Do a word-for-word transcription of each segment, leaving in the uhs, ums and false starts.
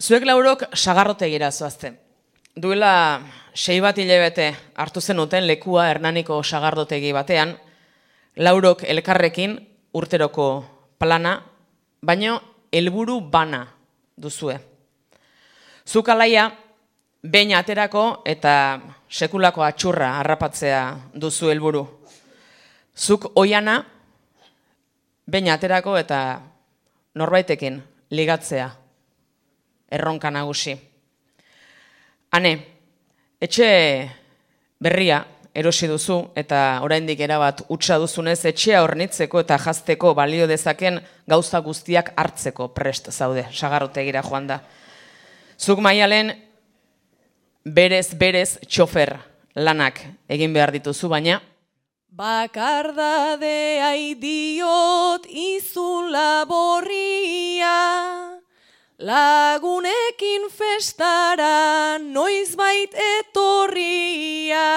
Zuek laurok sagarrotegira zoazte. Duela sei bat hilabete hartu zenuten lekua Hernaniko sagardotegi batean, laurok elkarrekin urteroko plana, baino helburu bana duzue. Zuk alaia, behin aterako eta sekulako atxurra harrapatzea duzu helburu. Zuk oiana, behin aterako eta norbaitekin ligatzea, erronka nagusi. Hane, etxe berria erosi duzu eta oraindik erabat hutsa duzunez etxea hornitzeko eta jazteko balio dezaken gauza guztiak hartzeko prest zaude, sagarrotegira joan da. Zuk Maialen berez berez txofer lanak egin behar dituzu, baina bakardadea idiot izun laborria, lagunekin festara noizbait etorria.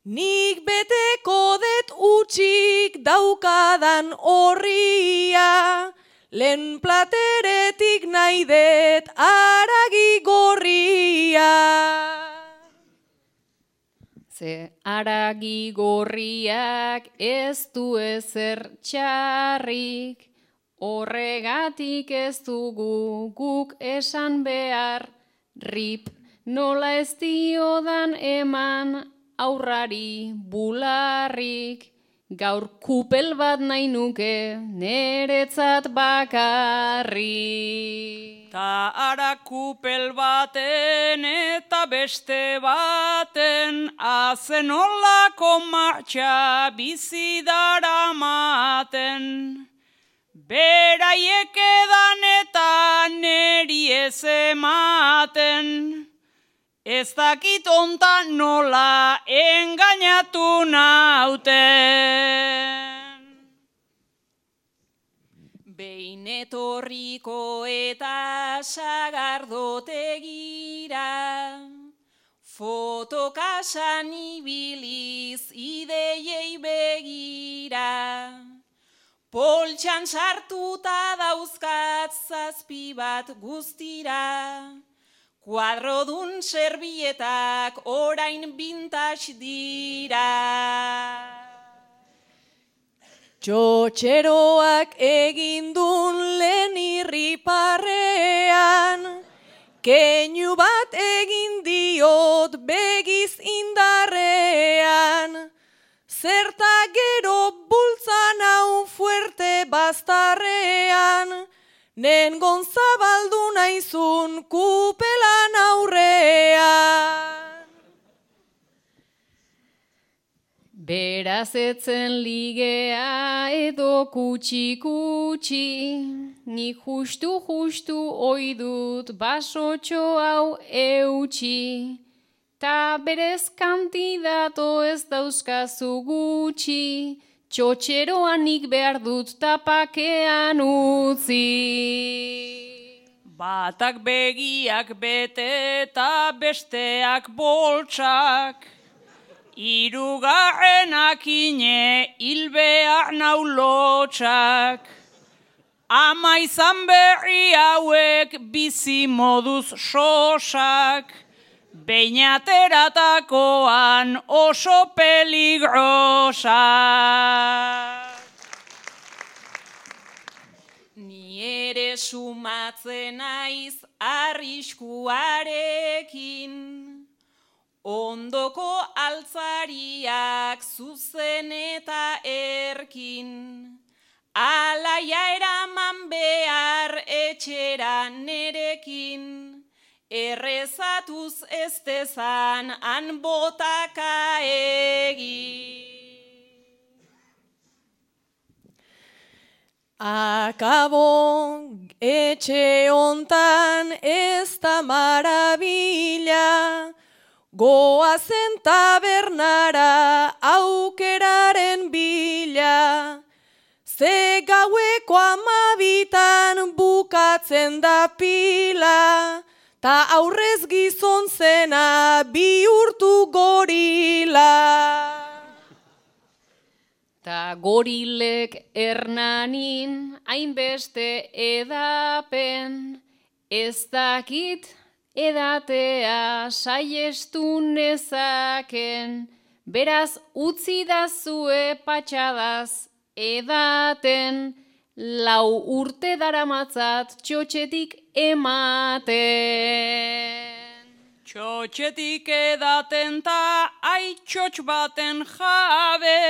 Nik beteko det utxik daukadan horria, lehen plateretik nahi det aragi gorria. Ze aragi gorriak ez du ezer txarrik, horregatik ez dugu guk esan behar, rip nola ez diodan eman aurrari bularrik, gaur kupel bat nahi nuke neretzat bakarrik. Ta ara kupel baten eta beste baten, azen olako martxa bizi daramaten. Beraiek edan eta neri ez ematen, ez dakit ontan nola engainatu nauten. Behin etorriko eta sagardotegira, fotokasan ibiliz ideiei begira. Poltsan sartuta dauzkat zazpi bat guztira, kuadrodun serbietak orain vintage dira. Txotxeroak egindun lehen irriparrean, keinu bat egin diot begiz indarrean, zerta gero bultzan hau fuerte bastarrean, nengon zabaldu naizun kupelan aurrean. Beraz etzen ligea edo kutsi-kutsi, nik justu-justu oidut basotxo hau eutxi, ta berez kantidato ez dauzkazu gutxi, txotxeroan nik behar dut tapakean utzi. Batak begiak bete eta besteak boltsak, hirugarrenak ine hilbehar naulotsak. Ama izan berri hauek bizi moduz sosak, behin ateratakoan oso peligrosak. Ni ere sumatzen naiz arriskuarekin, ondoko altzariak zuzen eta erkin, alaia eraman behar etxera nerekin, errezatuz ez dezan han botaka egin. Akabo etxe hontan ez da marabila, goazen tabernara aukeraren bila, ze gaueko amabitan bukatzen da pila, ta aurrez gizon zena bihurtu gorila. Ta gorilek Hernanin hainbeste edapen, Ez dakit edatea saiestu nezaken, beraz utzi dazue patxadaz edaten, lau urte daramatzat txotxetik ematen. Txotxetik edaten ta aitxotx baten jabe,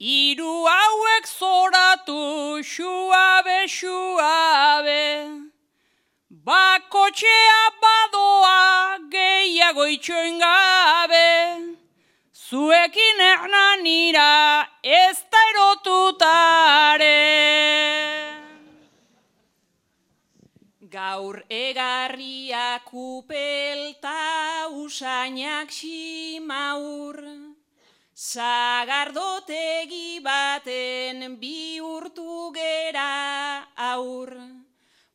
hiru hauek zoratu xuabe, xuabe. Bakotxea badoa gehiago itxoin gabe, zuekin Hernanira ez da erotutaren. Gaur egarriak upelta usainak ximaur, sagardotegi baten bihurtu gera aur.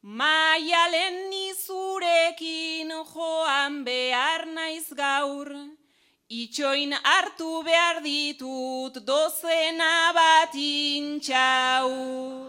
Maialen nizurekin joan behar naiz gaur, itxoin hartu behar ditut dozena bat intxaur.